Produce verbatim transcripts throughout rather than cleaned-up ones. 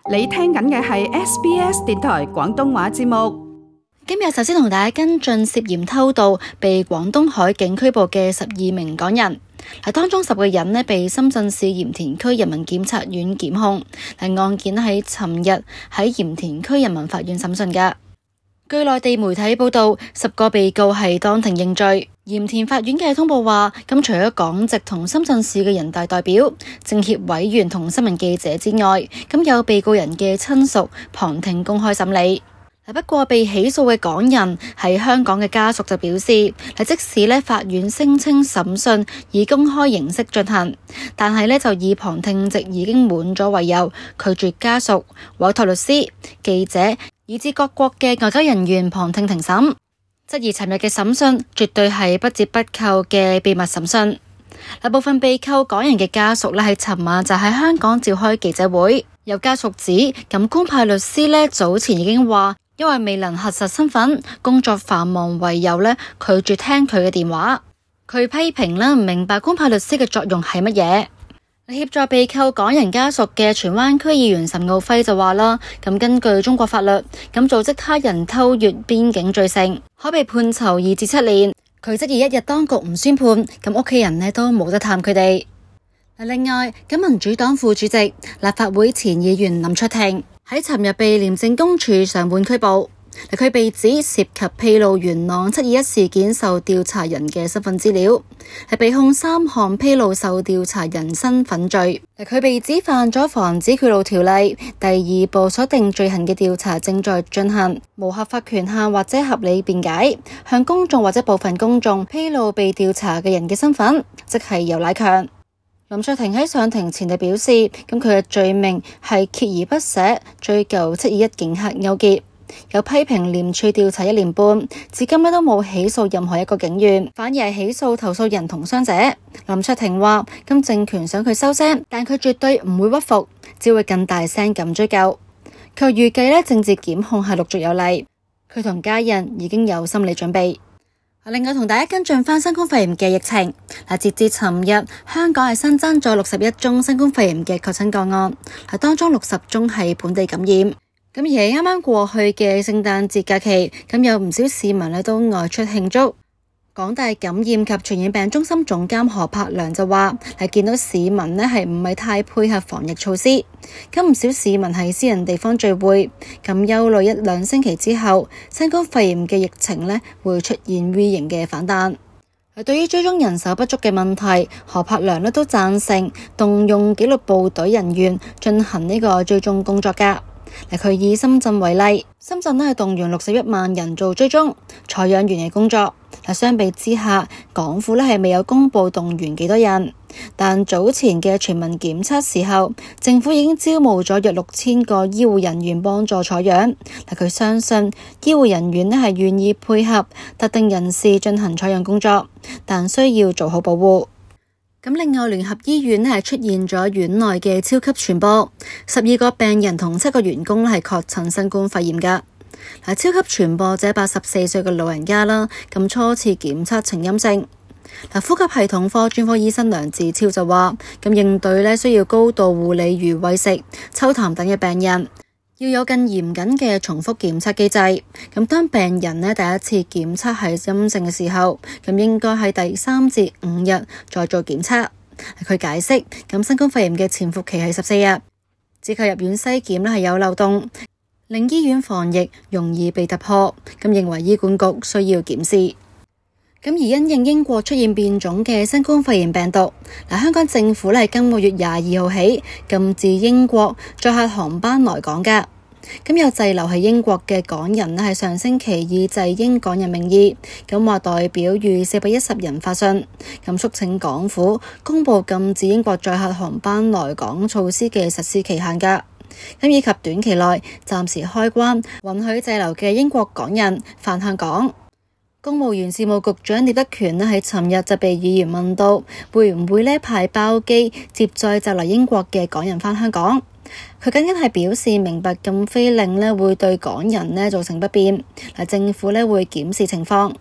你聽緊嘅係 S B S 電台廣東話節目。今日首先同大家跟進涉嫌偷渡被廣東海警拘捕嘅十二名港人。當中十個人呢被深圳市鹽田區人民檢察院檢控，案件喺尋日喺鹽田區人民法院審訊嘅。據內地媒體報道，十個被告係當庭認罪。鹽田法院嘅通報話，咁除咗港籍同深圳市嘅人大代表、政協委員同新聞記者之外，咁有被告人嘅親屬旁聽公開審理。不過被起訴嘅港人喺香港嘅家屬就表示，即使呢法院聲稱審訊以公開形式進行，但係呢就以旁聽席已經滿咗為由，拒絕家屬、委託律師、記者以至各國嘅外交人員旁聽庭審，質疑尋日嘅審訊絕對係不折不扣嘅秘密審訊。部分被扣港人嘅家屬呢喺尋晚就喺香港召開記者會，有家屬指咁官派律師呢早前已經話，因為未能核實身份、工作繁忙為由呢拒絕聽佢嘅電話。佢批評呢唔明白官派律師嘅作用係乜嘢。協助被扣港人家屬嘅荃灣區議員岑敖暉就話啦，咁根據中國法律，咁組織他人偷越邊境罪成，可被判囚二至七年。佢質疑一日當局唔宣判，咁屋企人呢都冇得探佢哋。另外，咁民主黨副主席、立法會前議員林卓廷喺尋日被廉政公署上門拘捕。佢被指涉及披露元朗七二一事件受調查人嘅身份資料，係被控三項披露受調查人身份罪。佢被指犯咗防止賄賂條例第二部所定罪行嘅調查正在進行，無合法權限或者合理辯解，向公眾或者部分公眾披露被調查嘅人嘅身份，即係游乃強。林卓廷喺上庭前就表示，咁佢嘅罪名係鍥而不捨追究七二一警黑勾結。有批評廉署調查一年半，至今都冇起訴任何一個警員，反而係起訴投訴人同傷者。林卓廷話，咁政權想佢收聲，但佢絕對唔會屈服，只會更大聲咁追究。佢預計呢政治檢控係陸續有嚟，佢同家人已經有心理準備。另外同大家跟進翻新冠肺炎嘅疫情，截至尋日，香港係新增咗六十一宗新冠肺炎嘅確診個案，當中六十宗係本地感染。咁而喺啱啱過去嘅聖誕節假期，咁有唔少市民咧都外出慶祝。港大感染及傳染病中心總監何柏良就話，係見到市民咧係唔係太配合防疫措施，咁唔少市民喺私人地方聚會，咁憂慮一兩星期之後，新冠肺炎嘅疫情咧會出現 V 型嘅反彈。對於追蹤人手不足嘅問題，何柏良咧都贊成動用紀律部隊人員進行呢個追蹤工作㗎。佢以深圳為例，深圳咧係動用六十一萬人做追蹤採樣員嘅工作。相比之下，港府咧係未有公布動員幾多人，但早前嘅全民檢測時候，政府已經招募咗約六千個醫護人員幫助採樣。佢相信醫護人員咧係願意配合特定人士進行採樣工作，但需要做好保護。咁另外，聯合醫院咧係出現咗院內嘅超級傳播，十二個病人同七個員工咧係確診新冠肺炎噶。嗱，超級傳播者八十四歲嘅老人家啦，咁初次檢測呈陰性。嗱，呼吸系統科專科醫生梁志超就話，咁應對咧需要高度護理如餵食、抽痰等嘅病人，要有更嚴謹嘅重複檢測機制。咁當病人呢第一次檢測係陰性嘅時候，咁應該喺第三至五日再做檢測。佢解釋，咁新冠肺炎嘅潛伏期係十四日，只靠入院篩檢呢係有漏洞，令醫院防疫容易被突破。咁認為醫管局需要檢視。咁而因應英國出現變種嘅新冠肺炎病毒，嗱，香港政府咧係今個月廿二號起禁止英國載客航班來港噶。咁有滯留喺英國嘅港人咧，係上星期以滯英港人名義，咁話代表逾四百一十人發信，咁促請港府公布禁止英國載客航班來港措施嘅實施期限噶。咁以及短期內暫時開關，允許滯留嘅英國港人返香港。公務員事務局長聶德權咧喺尋日就被議員問到，會唔會咧派包機接載就嚟英國嘅港人返香港？佢僅僅係表示明白禁飛令咧會對港人咧造成不便，嗱，政府咧會檢視情況。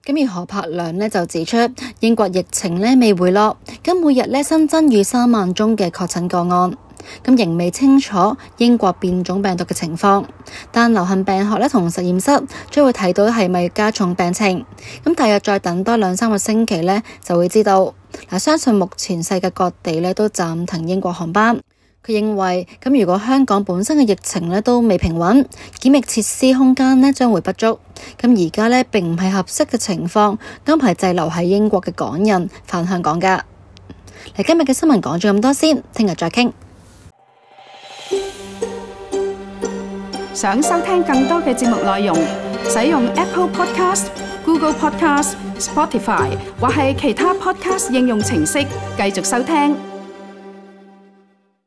咁而何柏良咧就指出，英國疫情咧未回落，咁每日咧新增逾三萬宗嘅確診個案。咁仍未清楚英國變種病毒嘅情況，但流行病學咧同實驗室將會睇到係咪加重病情。咁大約再等多兩三個星期咧就會知道。嗱，相信目前世界各地咧都暫停英國航班。佢認為咁如果香港本身嘅疫情咧都未平穩，檢疫設施空間咧將會不足。咁而家咧並唔係合適嘅情況安排滯留喺英國嘅港人返香港㗎。嚟，今日嘅新聞講咗咁多先，聽日再傾。想收聽更多嘅節目內容，使用 Apple Podcast、Google Podcast、Spotify 或係其他 Podcast 應用程式繼續收聽。